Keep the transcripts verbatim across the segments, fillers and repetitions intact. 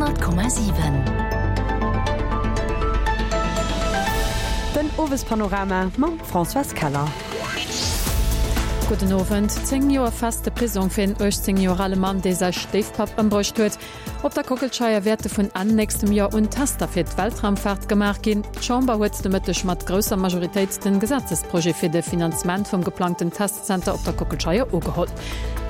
Honnert Komma siwen. Den Owespanorama mam Françoise Keller. Gudden Owend. Zéng Joer feste Prisong fir en uechtzéng Joer ale Mann, dee säi Stéifpapp ëmbruecht huet. Op der Kockelscheier wäerte vun Enn nächstem Joer un Tester fir d'Weltraumfaart gemaach ginn. D'Chamber huet de Mëtteg mat grousser Majoritéit den Gesetzesprojet fir de Finanzement vum geplangten Testzenter op der Kockelscheier ugeholl.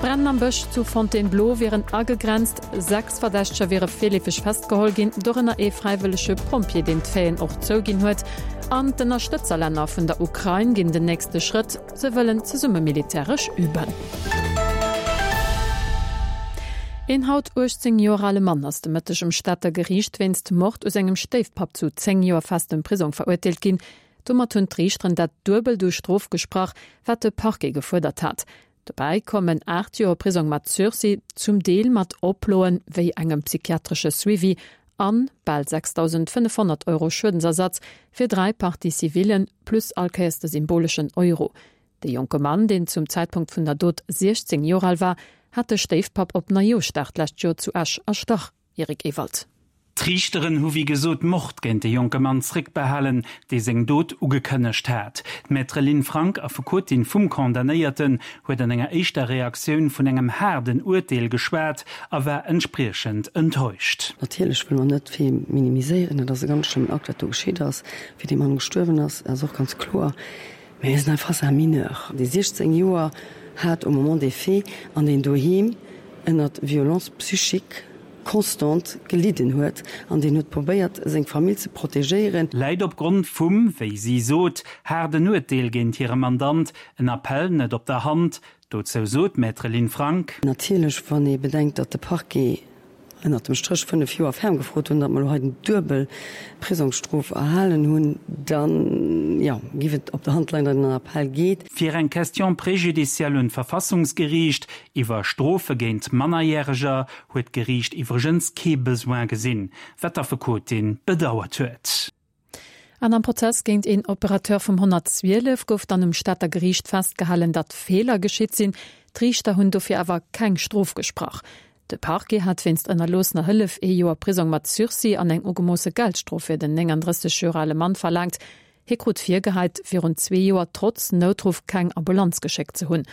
D'Bränn am Bësch zu Fontainebleau wieren agegrenzt. Sechs Verdächteger wiere virleefeg festgeholl ginn, dorënner ee fräiwëllege Pompjee, deen d'Faiten och zouginn huet. An d'Ënnerstëtzerlänner vun der Ukrain ginn den nächste Schrëtt, se wëllen zesumme militäresch üben. Een haut uechtzéng Joer ale Mann ass de Mëtteg um Stater Geriicht wéinst Mord u sengem Stéifpapp zu zéng Joer festem Prisong verurteelt ginn. Domat hunn d'Riichteren dat Duebelt u Strof gesprach, wat de Parquet gefuerdert hat. Dobäi kommen aacht Joer Prisong mat Sursis, zum Deel mat Oploen, wéi engem psychiatresche Suivi, an bal sechstausendfënnefhonnert Euro Schuedensersatz fir dräi Parties civillen, plus all Kéiers de symboleschen Euro. De jonke Mann, deen zum Zäitpunkt vun der Dot siechzéng Joer al war, hat de Stéifpapp op Neijooschdag d'lescht Joer zu Esch erstach. Eric Ewald. D'Riichteren hu wéi gesot Mord géint de jonke Mann zréckbehalen, dee seng Dot ugekënnegt hat. D'Maître Lynn Frank, Affekotin vum Condamnéierten, huet an enger éischter Reaktioun vun engem haarden Urteel geschwat a war entspriechend enttäuscht. Natierlech wëlle mer net vill minimiséieren. Et ass e ganz schlëmmen Akt, wat do geschitt ass, wéi dee Mann gestuerwen ass, ass och ganz kloer. Mä mir sinn hei face à un mineur, dee siechzéng Joer hat au moment des faits an deen doheem ënnert Violence psychique constante gelidden huet an deen huet probéiert, seng Famill ze protegéieren. Läit opgrond vum, wéi si sot, haarden Urteel géint hire Mandant en Appell net op der Hand? Dozou sot d'Maître Lynn Frank. Natierlech, wann ee bedenkt, datt de Parquet ënnert dem Stréch fënnef Joer ferm gefrot hunn, datt mer elo hei den duebel Prisongsstrof erhalen hunn, dann, jo, géif et op der Hand leien, datt een an Appell geet. Fir eng Question préjudicielle un d'Verfassungsgeriicht iwwer Strofe géint Mannerjäreger huet d'Geriicht iwwregens kee Besoin gesinn, wat d'Affekotin bedauert huet. An am Prozess géint een Operateur vum honnertzwielef gouf dann um Stater Geriicht festgehalen, datt Feeler geschitt sinn. D'Riichter hunn dofir awer keng Strof gesprach. De Parquet hat wéinst ënnerloossener Hëllef ee Joer Prisong mat Sursis an eng ugemoosse Geldstrof fir den nénganddrësseg Joer ale Mann verlaangt. Hie krut virgeheit, virun zwee Joer trotz Noutruff keng Ambulanz geschéckt ze hunn.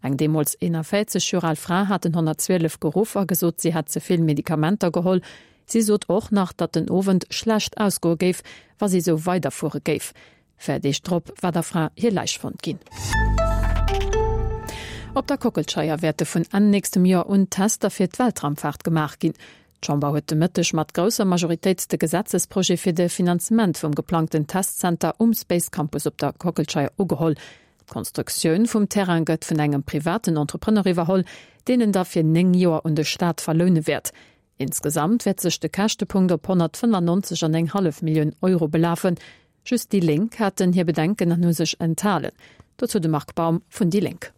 Eng deemools eenanvéierzeg Joer al Fra hat den honnertzwielef geruff a gesot, si hätt ze vill Medikamenter geholl. Si sot och nach, datt den Owend schlecht ausgoe géif, wa si esou weiderfuere géif. Véier Deeg drop war der Fra hir Läich fonnt ginn. Op der Kockelscheier wäerte vun Enn nächstem Joer un Tester fir d'Weltraumfaart gemaach ginn. D'Chamber huet de Mëtteg mat grousser Majoritéit de Gesetzesprojet fir de Finanzement vum geplangten Testzenter um Space Campus op der Kockelscheier ugeholl. D'Konstruktioun vum Terrain gëtt vun engem privaten Entrepreneur iwwerholl, deen en da fir néng Joer un de Staat verloune wäert. Insgesamt wäert sech de Käschtepunkt op honnertfënnefannonzeg an eng hallef Millioun Euro belafen. Just déi Lénk haten hir Bedenken an hu sech enthalen. Dozou de Marc Baum vun déi Lénk.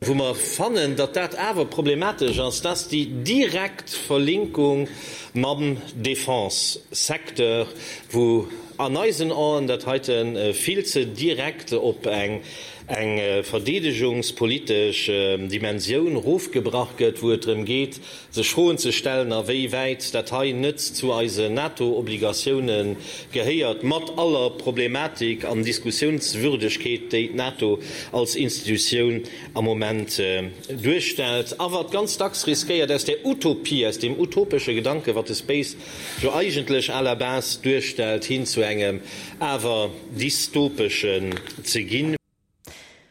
Wou mer fannen, datt dat awer problematesch ass, dat ass déi direkt Verlinkung mam Defense-Secteur, wou an eisen Aen dat heite vill ze direkt op eng verdeedegungspolitesch Dimensioun erofgebrach gëtt, wou et drëm geet, sech Froen ze stellen, a wéi wäit dat hei net zu eisen NATO-Obligatioune gehéiert, mat aller Problematik an Diskussiounswürdegkeet, déi d'NATO als Institutioun am Moment duerstellt, a wat ganz dacks riskéiert, aus där Utopie, aus deem utopesche Gedanke, wat de Space jo eigentlech à la base duerstellt, hin zu engem awer dystopeschen ze ginn.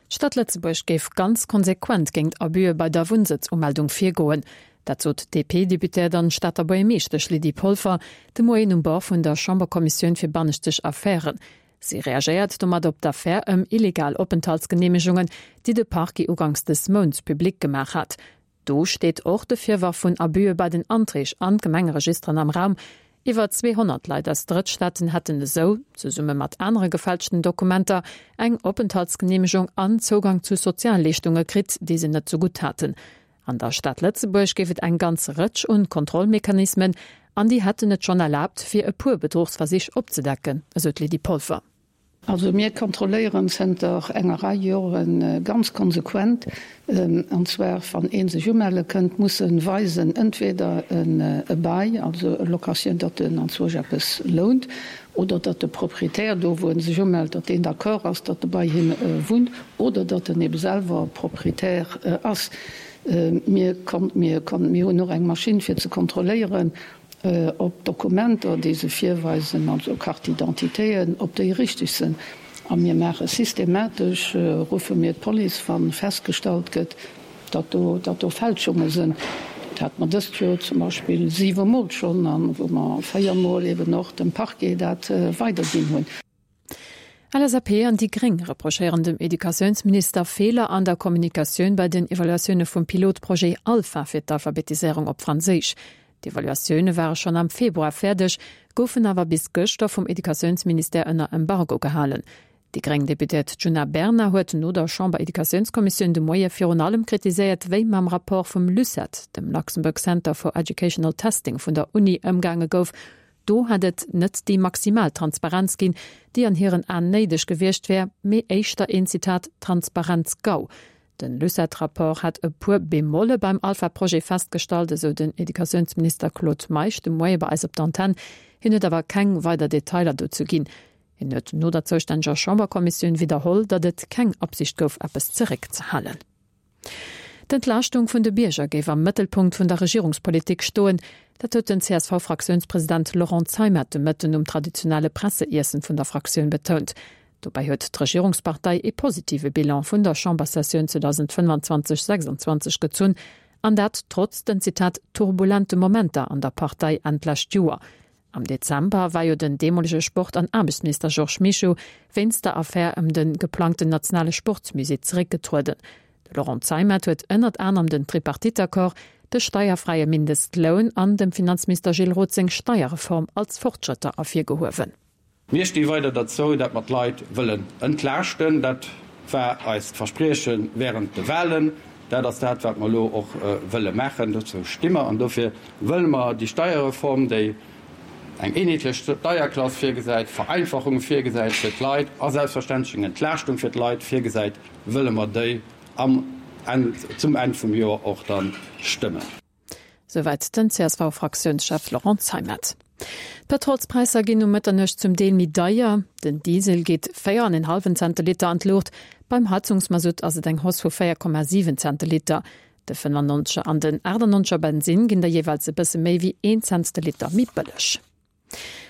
D'Stad Lëtzebuerg géif ganz konsequent géint Abuse bei der Wunnsëtzumeldung virgoen. Dat sot d'DP-Deputéiert an Stater Buergermeeschtesch Lydie Polfer de Moien um Bord vun der Chamberkommissioun fir banneschteg Affären. Si reagéiert domat op d'Affär ëm illegal Openthaltsgeneemegungen, déi de Parquet uganks des Mounts public gemaach hat. Do steet och de Virworf vun Abuse bei den Anträg an d'Gemengeregisteren am Raum. Iwwer zweehonnert Leit aus Drëttstaaten hätten esou, zesumme mat anere gefälschten Dokumenter, eng Openthaltsgeneemegung an Zougang zu Sozialleeschtunge kritt, déi se net zegutt haten. An der Stad Lëtzebuerg géif et eng ganz Rëtsch un Kontrollmechanismen an déi hätten et schonn erlaabt, fir e puer Bedruchsversich opzedecken, esou d'Lydie Polfer. Also mir kontrolléieren zënter enger Rei Joren ganz konsequent, an zwar wann ee sech umelle kënnt, muss en weisen, entweder e Bail, also e Location, datt en anzwousch eppes lount, oder datt de Proprietär do wou en sech umellt, datt deen d'accord ass, datt e bei him wunnt, oder datt en ebe selwer Proprietär ass. Mir mir mir hunn och eng Maschinn fir ze kontrolléieren, ob d'Dokumenter, déi se virweisen, also Carte d'identitéen, ob déi richteg sinn. A mir maache systematesch, ruffe mir d'Police, wa festgestallt gëtt, datt do, datt do Fälschunge sinn. Dat hate mer dëst Joer zum Beispill siwe Mol schonn, a wou mer véier Mol eben och dem Parquet dat weiderginn hunn. LSAP an déi Gréng reprochéieren dem Educatiounsminister Feeler an der Kommunikatioun bei den Evaluatioune vum Pilotprojet Alpha fir d'Alphabetiséierung op Franséisch. D'Evaluatioune ware schonn am Februar fäerdeg, goufen awer bis gëschter vum Educatiounsministère ënner Embargo gehalen. Déi gréng Deputéiert Djuna Bernard huet no der Chamber-Educatiounskommissioun de Moie virun allem kritiséiert, wéi mam Rapport vum LUCET, dem Luxembourg Center for Educational Testing vun der Uni, ëmgaange gouf. Do hätt et net déi maximal Transparenz ginn, déi an hiren Aen néideg gewiescht wär, mee éischter een, Zitat, Transparenz-GAU. Den LUCET-Rapport hätt e puer Bemolle beim Alpha-Projet festgestallt, esou den Educatiounsminister Claude Meisch de Moie bei eis op der Antenn. Hien huet awer keng weider Detailer dozou ginn. Hien huet no der zoustänneger Chamberkommissioun widderholl, datt et keng Absicht gouf, eppes zeréckzehalen. D'Entlaaschtung vun de Bierger géif am Mëttelpunkt vun der Regierungspolitik stoen. Dat huet den C S V-Fraktiounspresident Laurent Zeimet de Mëtten um traditionelle Presseiessen vun der Fraktioun betount. Dobäi huet d'Regierungspartei ee positive Bilan vun der Chambersessioun zweedausendfënnwanzwanzeg sechsanzwanzeg gezunn, an dat trotz den, Zitat, turbulente Momenter an der Partei Enn d'lescht Joer. Am Dezember war jo den deemolege Sport an Aarbechtsminister Georges Mischo wéinst der Affär ëm de geplangten nationale Sportsmusée zeréckgetrueden. De Laurent Zeimet huet ënnert anerem den Tripartite-Accord, de steierfräie Mindestloun an dem Finanzminister Gilles Roth seng Steierreform als Fortschrëtter ervirgehuewen. Mir sti weider derzou, datt mer d'Leit wëllen entlaaschten. Dat war eist Versprieche wärend de Walen. Dat ass dat, wat mer elo och wëlle maachen. Dozou sti mer an dofir wëlle mer déi Steierreform, déi eng eenheetlech Steierklass virgesäit, Vereinfachunge virgesäit fir d'Leit a selbstverständlech eng Entlaaschtung fir d'Leit virgesäit, wëlle mer déi am Enn, zum Enn vum Joer och da stëmmen. Souwäit den C S V-Fraktiounschef Laurent Zeimet. D'Pëtrolspräisser ginn um Mëtternuecht zum Deel méi deier. Den Diesel geet véier an en hallwen Cent de Liter an d'Luucht, beim Heizungsmasutt ass et eng Hausse vu véier Komma siwen Cent de Liter. De fënnfannonzeger an den aachtannonzeger Bensinn ginn da jeeweils e bësse méi wéi een Cent de Liter méi bëlleg.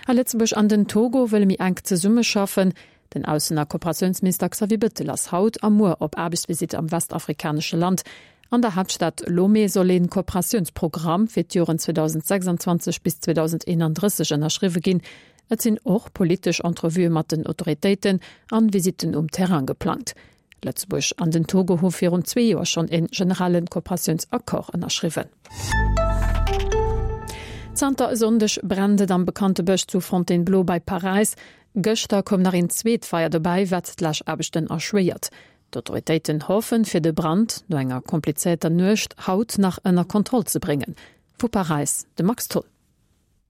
A Lëtzebuerg an den Togo wëlle méi enk zesummeschaffen. Den Aussen a Kooperatiounsminister Xavier Bettel ass haut a muer op Aarbechtsvisitt am westafrikanesche Land. An der Haaptstad Lomé soll een Kooperatiounsprogramm fir d'Joren zweedausendsechsanzwanzeg bis zweedausendeentdrësseg ënnerschriwwe ginn. Et sinn och politesch Entrevuë mat den Autoritéiten an Visitten um Terrain geplangt. Lëtzebuerg an den Togo hu virun zwee Joer schonn een generellen Kooperatiounsaccord ënnerschriwwen. Zanter e Sonndeg brennt et am bekannte Bësch zu Fontainebleau bei Paräis. Gëschter koum nach een zweet Feier dobäi, wat d'Läschaarbechten erschwéiert. D'Autoritéiten hoffen, fir de Brand no enger komplizéierter Nuecht haut nach ënner Kontroll ze bréngen. Vu Paräis de Max Tholl.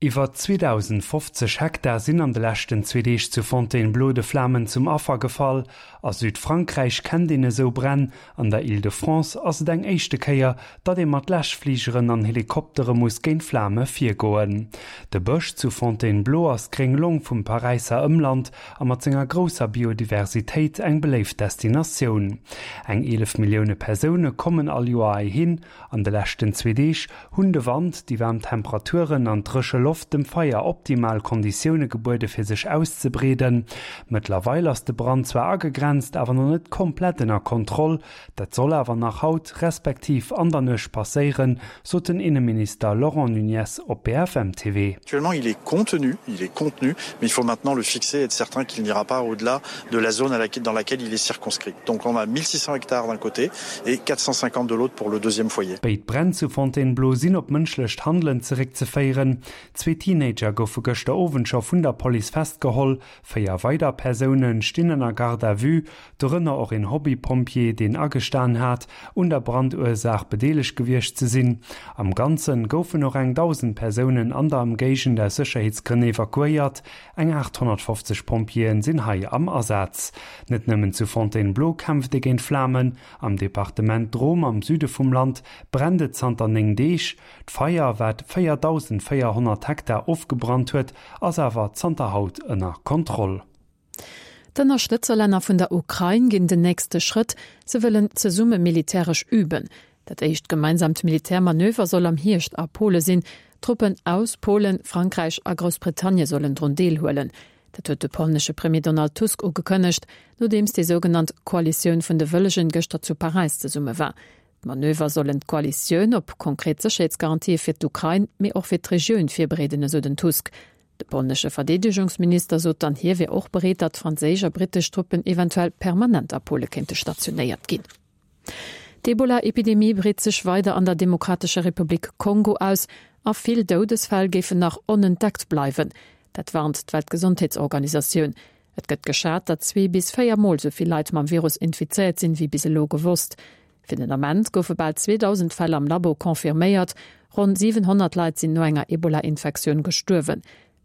Iwwer zweedausendfofzeg Hektar sinn an de leschten zwee Deeg zu Fontainebleau de Flamen zum Affer gefall. A Südfrankräich kennt een esou Bränn, an der Île-de-France ass et eng éischte Kéier, datt ee mat Läschfligeren an Helikoptere muss géint Flame virgoen. De Bësch zu Fontainebleau ass d'gréng Long vum Paräisser Ëmland a mat senger grousser Biodiversitéit eng beléift Destinatioun. Eng eelef Millioune Persoune kommen all Joer heihin. An de leschten zwee Deeg hunn de Wand, déi waarm Temperaturen an dréche Loft dem Feier optimal Konditioune gebuede fir sech auszebreeden. Mëttlerweil ass de Brand zwar agegrenzt, awer nach net komplett ënner Kontroll. Dat soll awer nach haut, respektiv an der Nuecht passéieren, sot den Inneminister Laurent Nunez op B F M T V. Actuellement, il est contenu, il est contenu, mais il faut maintenant le fixer et être certain qu'il n'ira pas au-delà de la zone à laquelle, dans laquelle il est circonscrit. Donc on a mille six cents hectares d'un côté et quatre cent cinquante de l'autre pour le deuxième foyer. Béid Bränn zu Fontainebleau sinn op mënschlecht Handelen zeréckzeféieren. Zwee Teenager goufe gëschter Owend scho vun der Police festgeholl. Véier weider Persoune stinn ënner Garde à vue, dorënner och een Hobbypompjee, deen agestan hat, un der Brandursaach bedeelegt gewiescht ze sinn. Am Ganze goufen och eng dausend Persounen an der Ëmgéigend aus Sécherheetsgrënn evakuéiert. Eng achthonnertfofzeg Pompjeeën sinn hei am Asaz. Net nëmmen zu Fontainebleau kämpft ee géint d'Flamen. Am Departement Drôme am Süde vum Land brennt et zanter néng Deeg. D'Feier, wat véierdausendvéierhonnert Hektar ofgebrannt huet, ass awer zanter haut ënner Kontroll. D'Ënnerstëtzerlänner vun der Ukrain ginn den nächste Schrëtt, se wëllen zesumme militäresch üben. Dat éischt gemeinsamt Militärmanöver soll am Hierscht a Pole sinn. Truppen aus Polen, Frankräich a Groussbritannie sollen drun deelhuelen. Dat huet de polnesche Premier Donald Tusk ugekënnegt, nodeems déi sougenannt Koalitioun vun de Wëllegen gëschter zu Paräis zesumme war. D'Manöver sollen d'Koalitioun op konkret Sécherheetsgarantië fir d'Ukrain, mee och fir d'Regioun virbereeden, esou den Tusk. De polnesche Verdeedegungsminister sot dann, hie wier och bereet, datt franséisch a brittesch Truppen eventuell permanent a Pole kéinte stationéiert ginn. D'Ebola-Epidemie breet sech weider an der Demokratescher Republik Kongo aus a vill Doudesfäll géifen nach onentdeckt bleiwen. Dat warnt d'Weltgesondheetsorganisatioun. Et gëtt geschat, datt zwee bis véier Mol esou vill Leit mam Virus infizéiert sinn, wéi bis elo gewosst. Fir den Ament goufe bal zweedausend Fäll am Labo confirméiert, ronn siwenhonnert Leit sinn no enger Ebola-Infektioun gestuerwen.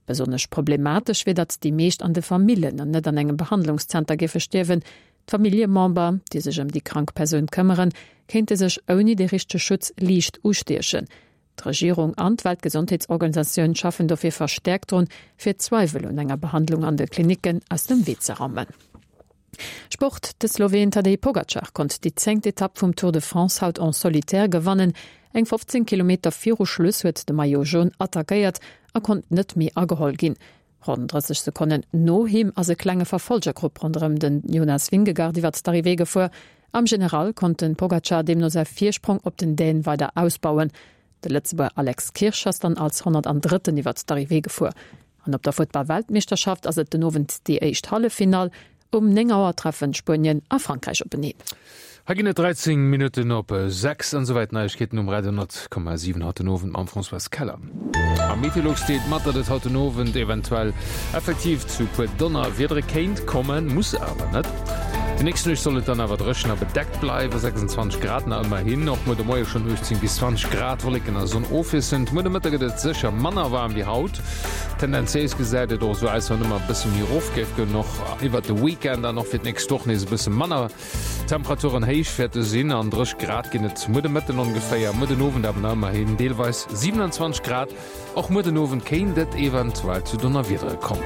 Besonnesch problematesch wier, datt déi meescht an de Famillen an net an engem Behandlungszenter géife stierwen. D'Familljemember, déi sech ëm déi krank Persoun këmmeren, kéinte sech ouni de richtege Schutz liicht ustiechen. D'Regierung an d'Weltgesondheetsorganisatioun schaffen dofir verstäerkt drun, fir Zweiwel un enger Behandlung an de Klinicken aus dem Wee ze raumen. Sport, De Sloween Tadej Pogacar konnt déi zéngt Etapp vum Tour de France haut en solitaire gewannen. Eng fofzéng Kilometer viru Schluss huet de Maillot Jaune attackéiert a konnt net méi ageholl ginn. Ronn drësseg Sekonnen no him ass e klenge Verfolgergrupp ronderëm den Jonas Vingegaard iwwert d'Arrivée gefuer. Am General konnt den Pogacar deemno säi Virsprong op den Dän weider ausbauen. De Lëtzebuerger Alex Kirsch ass dann als Honnertandrëtten iwwert d'Arrivée gefuer. An op der Futtball-Weltmeeschterschaft ass et den Owend déi éischt Halleffinall. Um néng Auer treffen Spuenien a Frankräich openeen. Hei ginn et dräizéng Minutten op sechs an esouwäit d'Neiegkeeten um Radio honnert Komma siwen haut den Owend mam Françoise Keller. A Meteolux deelt mat, datt et haut den Owend eventuell effektiv zu puer Donnerwiedere kéint kommen, muss awer net. Déi nächst Nuecht soll et dann awer dréchen a bedeckt bleiwen, sechsundzwanzeg Grad nach ëmmerhin, och muer de Moie schonn uechtzéng bis zwanzeg Grad, Wolleken a Sonn ofwiesselnd. Muer de Mëtte gëtt et sécher manner waarm wéi haut. Tendenziéis gesäit et och esou aus, wann ëmmer e bësse méi erof géif goen, och iwwert de Weekend an och fir d'nächst Woch nees e bësse manner Temperaturen héich wäerte sinn. An dréch Grad ginn et muer de Mëtten ongeféier, muer den Owend awer nach ëmmerhin deelweis siewenundzwanzeg Grad. Och muer den Owend kéint et eventuell zu Donnerwiedere kommen.